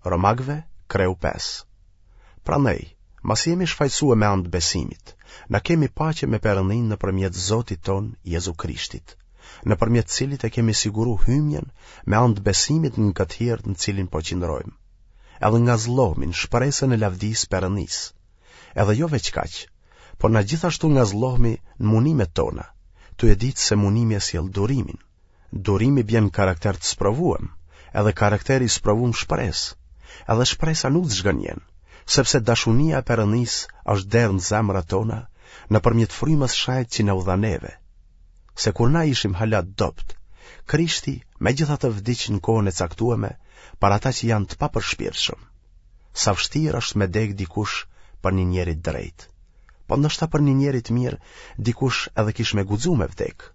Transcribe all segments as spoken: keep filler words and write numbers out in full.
Romakëve, kreu pesë. Prandaj, masi jemi shfajësue me anë të besimit, na kemi paqe me Perëndinë nëpërmjet Zotit tonë Jezu Krishtit, nëpërmjet cilit e kemi siguru hymjen me anë të besimit në këtë hir në cilin po qëndrojmë. Edhe ngazllohemi në shpresën e lavdisë Perëndisë. Edhe jo veç kaq, por na gjithashtu ngazllohemi në munimet tona, tu e ditë se munimi e sjell durimin. Durimi bjen karakter të sprovuem, edhe karakteri i sprovum shpresë, edhe shpresa nuk të zhgënjen, sepse dashunia e Perëndisë është derdhë në zemrat tona nëpërmjet frymës shenjtë që na u dha neve. Se kur na ishim hala të dobët, Krishti megjithatë vdiq në kohën e caktueme për ata që janë të papërshpirtshëm. Sa vështirë është me dek dikush për një njeri të drejtë. Po ndoshta për një njeri të mirë dikush edhe kish me guxu me vdek.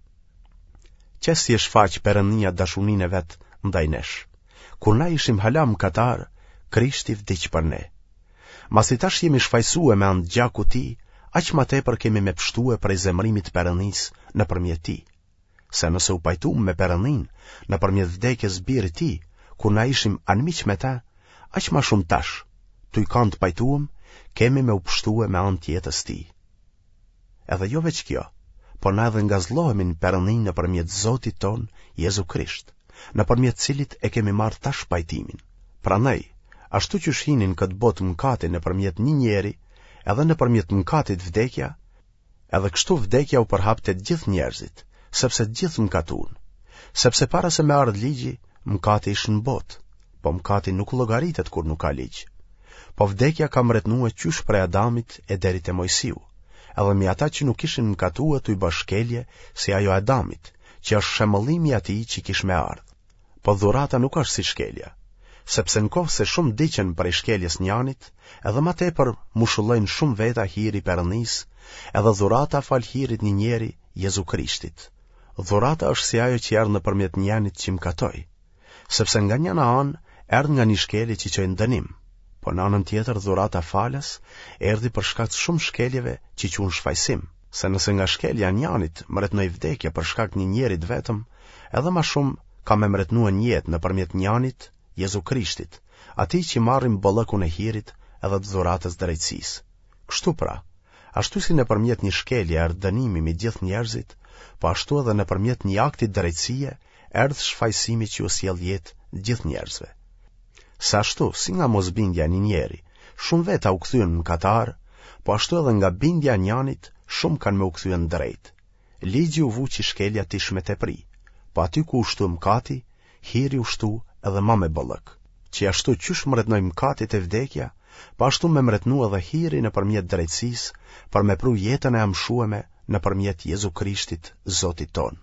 Qe si e shfaq Perëndia dashuninë e vet ndaj nesh. Kur na ishim hala mëkatarë, Krishti vdiq për ne. Masi tash jemi shfajësue me anë të gjakut tij, aq ma tepër kemi me pshtue prej zemërimit të Perëndisë nëpërmjet tij. Se nëse u pajtum me Perëndinë nëpërmjet vdekjes birit tij, kur na ishim anmiq me ta, aq ma shumë tash, tuj kanë të pajtuem, kemi me u pshtue me anë të jetës tij. Edhe jo veç kjo, por na edhe ngazllohemi në Perëndinë nëpërmjet Zotit tonë Jezu Krisht, nëpërmjet cilit e kemi marrë tash pajtimin. Prandaj, ashtu qysh hini në këtë botë mëkati nëpërmjet një njeri, edhe nëpërmjet mëkatit vdekja, edhe kështu vdekja u përhap te të gjithë njerëzit, sepse të gjithë mëkatun. Sepse para se me ardhë ligji, mëkati ish në botë, po mëkati nuk llogaritet kur nuk ka ligj. Po vdekja ka mretnue qysh prej Adamit e deri te Mojsiu, edhe mi ata që nuk ishin mëkatue tuj ba shkelje si ajo e Adamit, që është shemëllimi i atij që kish me ardhë. Po dhurata nuk është si shkelja, sepse në kohë se shumë vdiqën prej shkeljes njanit, edhe ma tepër mushullojnë shumë veta hiri i Perëndisë, edhe dhurata falë hirit një njeri, Jezu Krishtit. Dhurata është si ajo që erdh nëpërmjet njanit që mëkatoi, sepse nga njëna anë erdh nga një shkelje që çoi në dënim, po në anën tjetër dhurata falas erdhi për shkak të shumë shkeljeve që çuan shfajësim, se nëse nga shkelja e njanit mretnoi vdekja për shkak të një njeri të vetëm, edhe ma shumë ka me mretnue në jetë nëpërmjet njanit, Jezu Krishtit, atij që marrim bollëkun e hirit edhe të dhuratës drejtësisë. Kështu pra, ashtu si nëpërmjet një shkelje erdh dënimi mbi gjithë njerëzit, po ashtu edhe nëpërmjet një akti drejtësie erdh shfajësimi që u sjell jetë gjithë njerëzve. Se ashtu, si nga mosbindja e një njeri, shumë veta u kthyen mëkatarë, po ashtu edhe nga bindja e njanit, shumë kanë me u kthye në drejtë. Ligji u vu që shkelja t'ish me tepri, po aty ku u shtu mëkati, hiri u shtu edhe ma me bollëk. Që ashtu qysh mretnoi mëkati te vdekja, po ashtu me mretnu edhe hiri nëpërmjet drejtësisë, për me pru jetën e amshueme nëpërmjet Jezu Krishtit, Zotit tonë.